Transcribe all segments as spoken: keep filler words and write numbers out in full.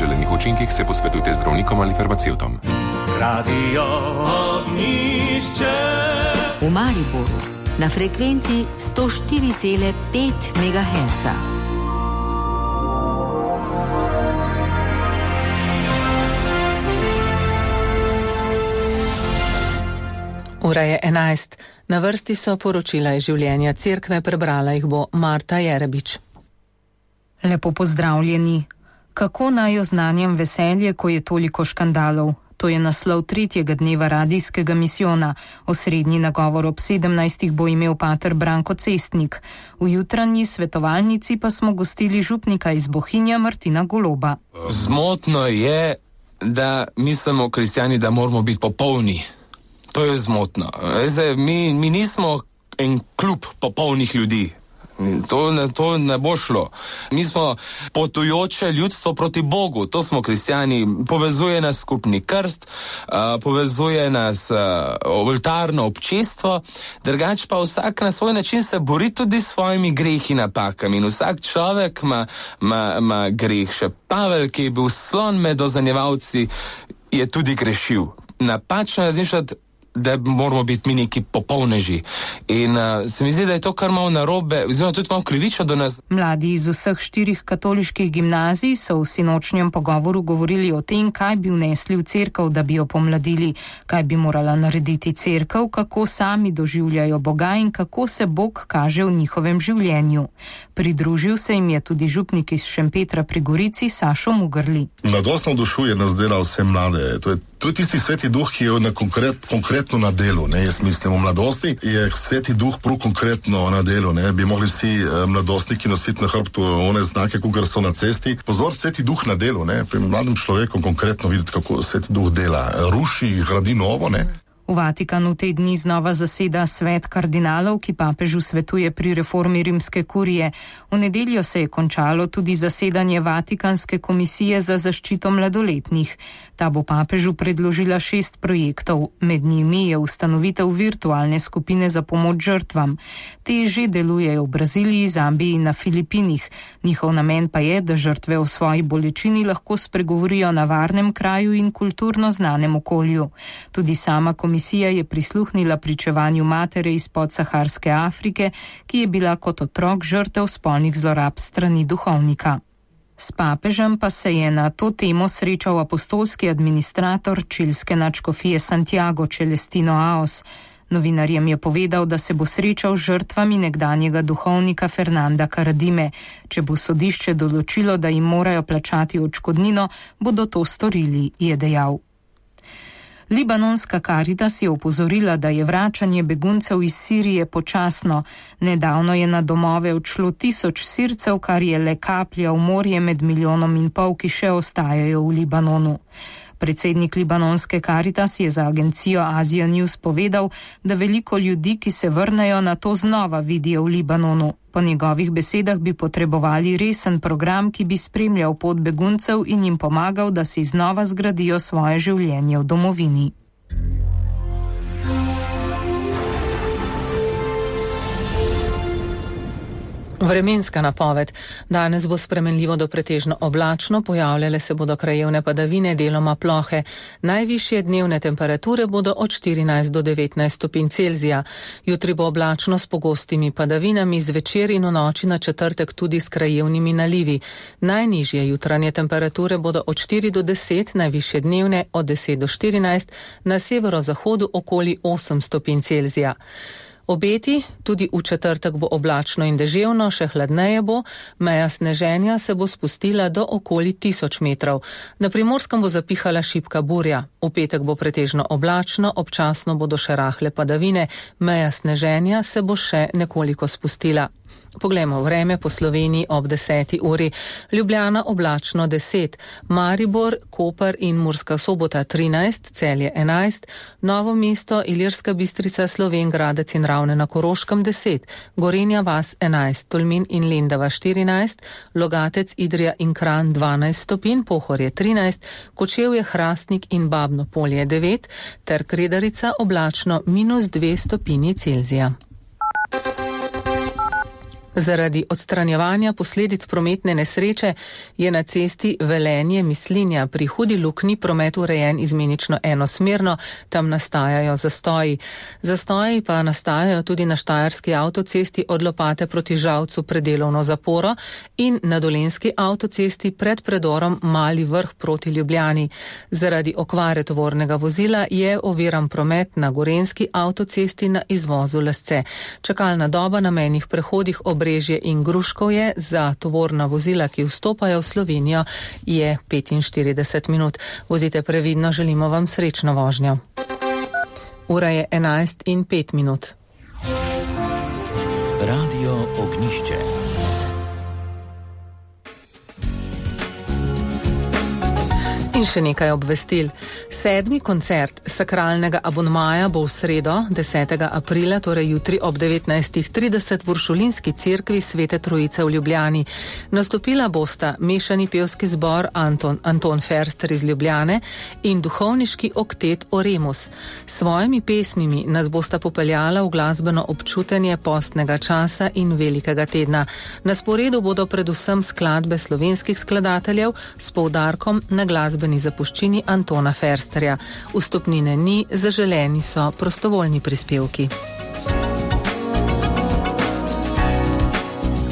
neželenih učinkih se posvetujte z zdravnikom ali farmacevtom. Radio Ognjišče v Mariboru na frekvenci sto štiri cela pet megaherca. Ura je enajst. Na vrsti so poročila iz življenja cerkve, prebrala jih bo Marta Jerebič. Lepo pozdravljeni. Kako naj oznanjam veselje, ko je toliko škandalov? To je naslov tretjega dneva radijskega misijona. Osrednji nagovor ob sedemnajstih bo imel pater Branko Cestnik. V jutranji svetovalnici pa smo gostili župnika iz Bohinja Martina Goloba. Zmotno je, da mislimo kristjani, da moramo biti popolni. To je zmotno. Zdaj, mi, mi nismo en klub popolnih ljudi. To ne, to ne bo šlo. Mi smo potujoče ljudstvo proti Bogu. To smo kristjani. Povezuje nas skupni krst, uh, povezuje nas uh, oltarno občestvo, drugače pa vsak na svoj način se bori tudi s svojimi grehi in napakami. In vsak človek ima, ima, ima greh. Še Pavel, ki je bil slon med ozanjevalci, je tudi grešil. Napačno razmišljati, da moramo biti mi neki popolneži. In uh, se mi zdi, da je to kar malo narobe, oziroma tudi malo krivično do nas. Mladi iz vseh štirih katoliških gimnazij so v sinočnjem pogovoru govorili o tem, kaj bi vnesli v cerkev, da bi jo pomladili, kaj bi morala narediti cerkev, kako sami doživljajo Boga in kako se Bog kaže v njihovem življenju. Pridružil se jim je tudi župnik iz Šempetra pri Gorici, Sašo Mugrli. Mladostno dušuje nas dela vse mlade. To je, to je tisti sveti duh, ki je na konkret, konkretno na delu. Ne? Jaz mislim, v mladosti je sveti duh prav konkretno na delu. Ne? Bi mogli vsi eh, mladostniki nositi na hrbtu one znake, kukar so na cesti. Pozor, sveti duh na delu. Ne? Pri mladem človeku konkretno videti, kako sveti duh dela. Ruši, gradi novo, ne? V Vatikanu te dni znova zaseda svet kardinalov, ki papežu svetuje pri reformi rimske kurije. V nedeljo se je končalo tudi zasedanje Vatikanske komisije za zaščito mladoletnih. Ta bo papežu predložila šest projektov. Med njimi je ustanovitev virtualne skupine za pomoč žrtvam. Te že delujejo v Braziliji, Zambiji in na Filipinih. Njihov namen pa je, da žrtve o svoji bolečini lahko spregovorijo na varnem kraju in kulturno znanem okolju. Tudi sama komisija je prisluhnila pričevanju matere iz podsaharske Afrike, ki je bila kot otrok žrtev spolnih zlorab strani duhovnika. S papežem pa se je na to temo srečal apostolski administrator čilske nadškofije Santiago Celestino Aos. Novinarjem je povedal, da se bo srečal z žrtvami nekdanjega duhovnika Fernanda Karadime. Če bo sodišče določilo, da jim morajo plačati odškodnino, bodo to storili, je dejal. Libanonska Karitas je opozorila, da je vračanje beguncev iz Sirije počasno. Nedavno je na domove odšlo tisoč Sircev, kar je le kaplja v morje med milijonom in pol, ki še ostajajo v Libanonu. Predsednik libanonske Karitas je za agencijo Asia News povedal, da veliko ljudi, ki se vrnejo, na to znova vidijo v Libanonu. Po njegovih besedah bi potrebovali resen program, ki bi spremljal pot beguncev in jim pomagal, da si znova zgradijo svoje življenje v domovini. Vremenska napoved. Danes bo spremenljivo do pretežno oblačno, pojavljale se bodo krajevne padavine, deloma plohe. Najvišje dnevne temperature bodo od štirinajst do devetnajst stopinj Celzija. Jutri bo oblačno s pogostimi padavinami, zvečer in v noči na četrtek tudi s krajevnimi nalivi. Najnižje jutranje temperature bodo od štiri do deset, najvišje dnevne od deset do štirinajst, na severozahodu okoli osem stopinj Celzija. Obeti, tudi v četrtek bo oblačno in deževno, še hladneje bo, meja sneženja se bo spustila do okoli tisoč metrov. Na Primorskem bo zapihala šibka burja. V petek bo pretežno oblačno, občasno bodo še rahle padavine, meja sneženja se bo še nekoliko spustila. Poglejmo vreme po Sloveniji ob deseti uri. Ljubljana oblačno deset, Maribor, Koper in Murska Sobota trinajst, Celje enajst, Novo mesto, Ilirska Bistrica, Slovenj Gradec in Ravne na Koroškem deset, Gorenja vas enajst, Tolmin in Lendava štirinajst, Logatec, Idrija in Kranj dvanajst stopinj, Pohorje trinajst, Kočevje, Hrastnik in Babno Polje devet, ter Kredarica oblačno minus dve stopinji Celzija. Zaradi odstranjevanja posledic prometne nesreče je na cesti Velenje-Mislinja pri Hudi Luknji promet urejen izmenično enosmerno, tam nastajajo zastoji. Zastoji pa nastajajo tudi na štajerski avtocesti od Lopate proti Žalcu predelovno zaporo in na dolenjski avtocesti pred predorom Mali Vrh proti Ljubljani. Zaradi okvare tovornega vozila je oviran promet na gorenjski avtocesti na izvozu Lesce. Čakalna doba na mejnih prehodih Obrežje in Gruškovje za tovorna vozila, ki vstopajo v Slovenijo, je petinštirideset minut. Vozite previdno, želimo vam srečno vožnjo. Ura je enajst in pet minut. Radio Ognjišče. In še nekaj obvestil. Sedmi koncert sakralnega abonmaja bo v sredo, desetega aprila, torej jutri ob devetnajstih trideset v Uršulinski cerkvi Svete Trojice v Ljubljani. Nastopila bosta mešani pevski zbor Anton, Anton Ferster iz Ljubljane in duhovniški oktet Oremus. S svojimi pesmimi nas bosta popeljala v glasbeno občutenje postnega časa in velikega tedna. Na sporedu bodo predvsem skladbe slovenskih skladateljev s poudarkom na glasbeni zapuščini Antona Fersterja. Vstopnine ni, zaželeni so prostovoljni prispevki.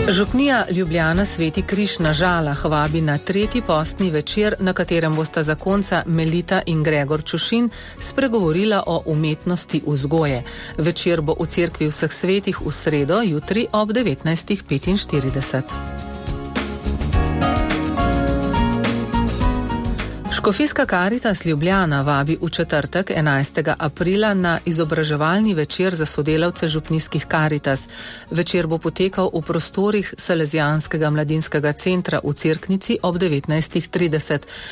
Župnija Ljubljana Sveti Križ na Žalah vabi na tretji postni večer, na katerem bosta zakonca Melita in Gregor Čušin spregovorila o umetnosti vzgoje. Večer bo v cerkvi vseh svetih v sredo, jutri ob devetnajstih petinštirideset. Škofijska Karitas Ljubljana vabi v četrtek enajstega aprila na izobraževalni večer za sodelavce župnijskih Karitas. Večer bo potekal v prostorih Salezijanskega mladinskega centra v Cerknici ob devetnajstih trideset.